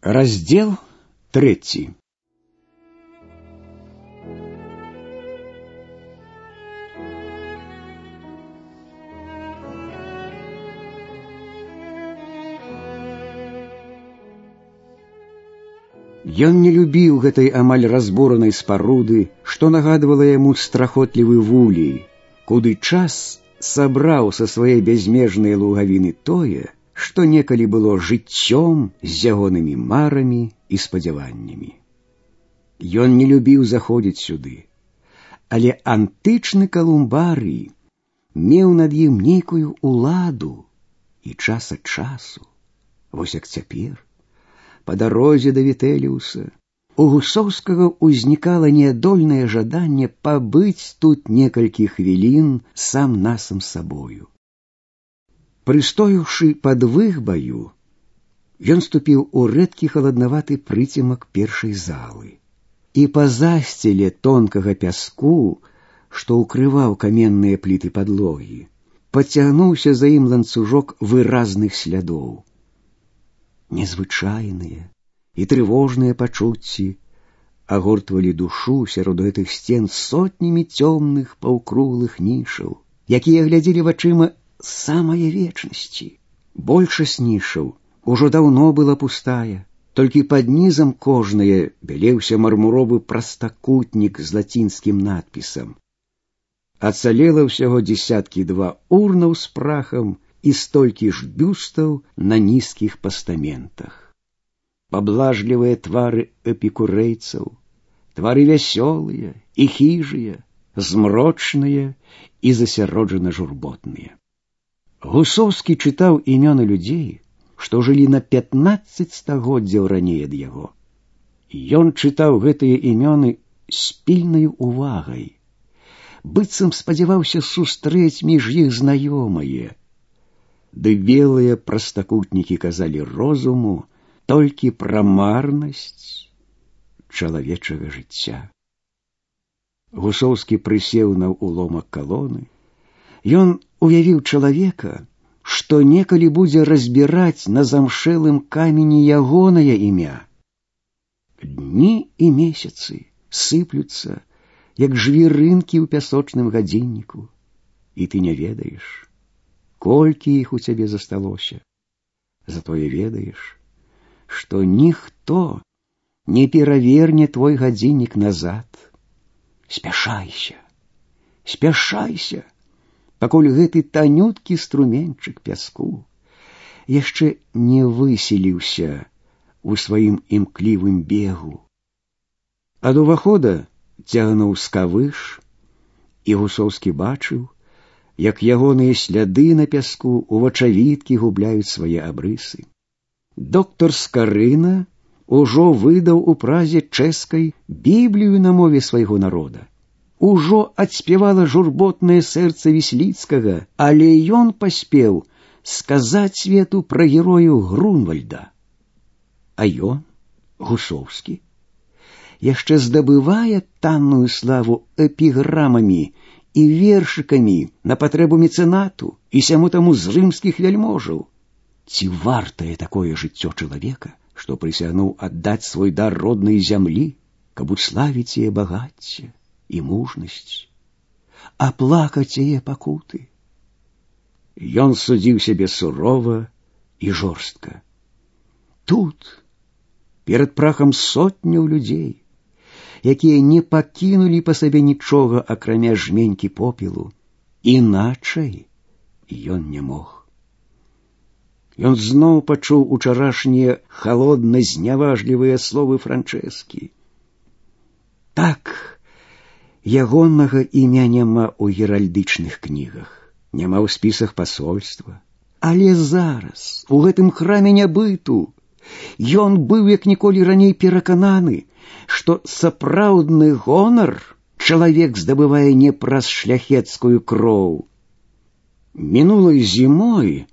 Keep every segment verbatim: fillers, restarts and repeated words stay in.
Раздел третий. Ён не любіў гэтай амаль разбуранай спаруды, што нагадвала яму страхотлівы вулей, куды час сабраў са свае бязмежнай лугавіны тое, што некалі было жыццём з ягонымі марамі і спадзяваннямі. Ён не любіў заходзіць сюды, але антычны Калумбарый меў над ім нейкую уладу і час ад часу, вось як цяпер, па дарозе да Вітэліуса, у Гусоўскага ўзнікала неадольнае жаданне пабыць тут некалькі хвілін сам-насам сабою. Прыстоіўшы пад выхбаю, ён ступіў у рэдкі халаднаваты прыцемак першай залы, і па засціле тонкага пяску, што ўкрываў каменныя пліты падлогі, пацягнуўся за ім ланцужок выразных слядоў. Незвычайныя і трывожныя пачуцці агортвалі душу сярод гэтых сцен сотнямі цёмных паўкруглых нішаў, якія глядзелі вачыма самая вечнасці. Большасць нішаў ужо даўно была пустая, толькі пад нізам кожнае бялеўся мармуровы прастакутнік з лацінскім надпісам. Ацалела ўсяго дзесяткі два урнаў з прахам і столькі ж бюстаў на нізкіх пастаментах. Паблажлівыя твары эпікурэйцаў, твары вясёлыя і хіжыя, змрочныя і засяроджана журботныя. Гусоўскі чытаў імёны людзей, што жылі на пятнаццаць стагоддзяў раней ад яго. Ён чытаў гэтыя імёны з пільнаю увагай, быццам спадзяваўся сустрэць між іх знаёмае, ды белыя прастакутнікі казалі розуму толькі пра марнасць чалавечага жыцця. Гусоўскі прысеў на ўломак калоны. Ён уявіў чалавека, што некалі будзе разбіраць на замшэлым камені ягонае імя. Дні і месяцы сыплюцца, як жвірынкі ў пясочным гадзінніку, і ты не ведаеш, колькі іх у цябе засталося. Затое ведаеш, што ніхто не пераверне твой гадзіннік назад. Спяшайся, спяшайся, пакуль гэты танюткі струменьчык пяску яшчэ не выселіўся у сваім імклівым бегу. Ад увахода цягнуў скавыш, і Гусоўскі бачыў, як ягоныя сляды на пяску ў вачавіткі губляюць свае абрысы. Доктор Скарына ужо выдаў у Празе чэшскай Біблію на мове свайго народа. Ужо адспявала журботнае сэрца Вісліцкага, але ён паспеў сказаць свету пра герою Грунвальда. А ён, Гусоўскі, яшчэ здабывае танную славу эпіграмамі і вершыкамі на патрэбу мецэнату і сяму таму з рымскіх вяльможаў. Ці вартае такое жыццё чалавека, што прысягнуў аддаць свой дар роднай зямлі, каб уславіць яе багацце і мужнасць, аплакаць яе пакуты? Ён судзіў сябе сурова і жорстка. Тут, перад прахам сотняў людзей, якія не пакінулі па сабе нічога, акрамя жменькі попелу, іначай ён не мог. Ён зноў пачуў учарашнія халодна-зняважлівыя словы Франчэскі. Так, ягонага імя няма ў геральдычных кнігах, няма ў спісах пасольства. Але зараз, у гэтым храме нябыту, ён быў як ніколі раней перакананы, што сапраўдны гонар чалавек здабывае не праз шляхецкую кроў. Мінулай зімой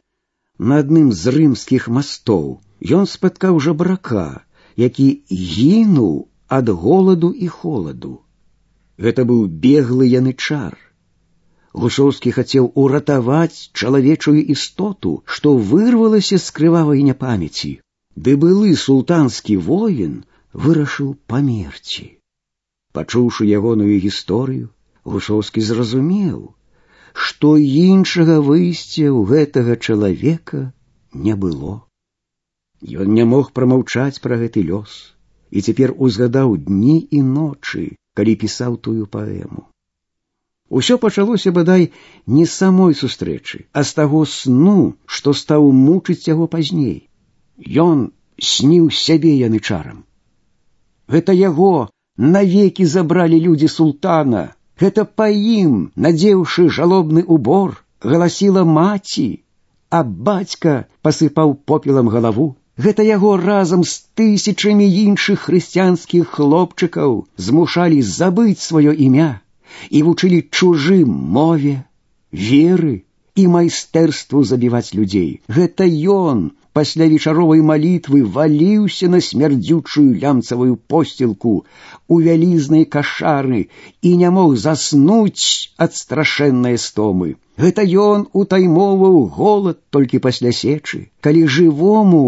на адным з рымскіх мастоў ён спаткаў жабрака, які гінуў ад голаду і холаду. Гэта быў беглы янычар. Гусоўскі хацеў уратаваць чалавечую істоту, што вырвалася з крывавай няпамяці. ды былы султанскі воін вырашыў памерці. Пачуўшы ягоную гісторыю, Гусоўскі зразумеў, што іншага выйсця ў гэтага чалавека не было. Ён не мог прамаўчаць пра гэты лёс, і цяпер узгадаў дні і ночы, калі пісаў тую паэму. Усё пачалося, бадай, не з самой сустрэчы, а з таго сну, што стаў мучыць яго пазней. Ён сніў сябе янычарам. Гэта яго навекі забралі людзі султана. Гэта па ім, надзеўшы жалобны убор, галасіла маці, а бацька пасыпаў попелам галаву. Гэта яго разам з тысячамі іншых хрысціянскіх хлопчыкаў змушалі забыць сваё імя і вучылі чужым мове, веры і майстэрству забіваць людзей. Гэта ён пасля вечаровай малітвы валіўся на смярдзючую лямцавую посцілку у вялізнай кашары і не мог заснуць ад страшэннай стомы. Гэта ён утаймоўваў голад толькі пасля сечы, калі жывому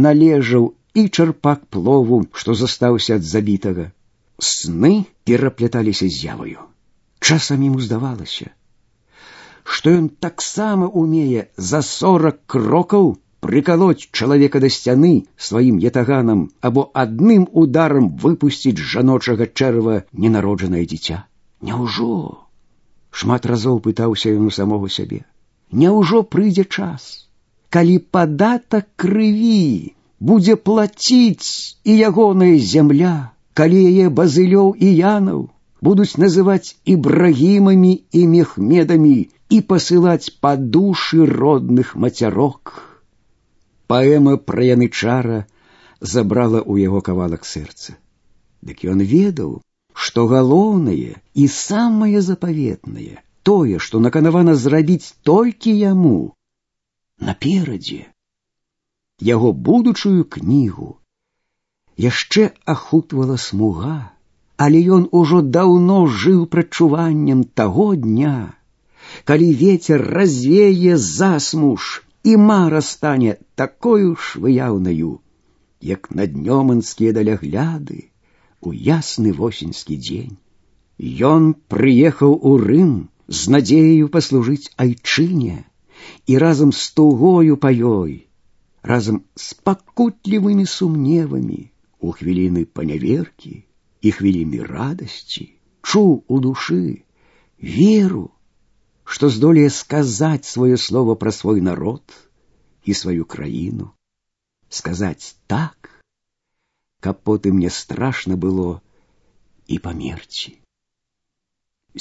належаў і чарпак плову, што застаўся ад забітага. Сны перапляталіся з з'яваю. Часам яму здавалася, што ён таксама умее за сорак крокаў прыкалоць чалавека да сцяны сваім ятаганам або адным ударам выпусціць з жаночага чэрава ненароджанае дзіця. Няўжо? Шмат разоў пытаўся ён у самога сябе. Няўжо прыйдзе час, калі падатак крыві будзе плаціць і ягоная зямля, калі яе базылёў і янаў будуць называць ібрагімамі і мехмедамі і пасылаць па душы родных мацярок. Паэма пра янычара забрала ў яго кавалак сэрца. Дык ён ведаў, што галоўнае і самае запаветнае, тое, што наканавана зрабіць толькі яму, наперадзе. Яго будучую кнігу яшчэ ахутвала смуга, але ён ужо даўно жыў прадчуваннем таго дня, калі вецер развее засмуж, і мара стане такою ж выяўнаю, як наднёманскія далягляды у ясны восеньскі дзень. Ён прыехаў у Рым з надзеяю паслужыць айчыне і разам з тугою па ёй, разам з пакутлівымі сумневамі у хвіліны паняверкі і хвіліны радасці чуў у душы веру, што здолее сказаць сваё слово пра свой народ і сваю краіну, сказаць так, каб потым не страшна было і памерці.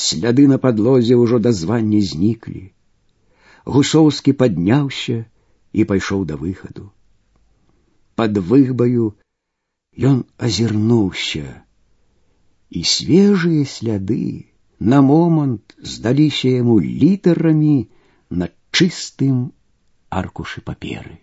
Сляды на падлозе ўжо да звання зніклі. Гусоўскі падняўся і пайшоў да выхаду. Пад выгбаю ён азірнуўся, і свежыя сляды на момант здаліся яму літарамі на чыстым аркушы паперы.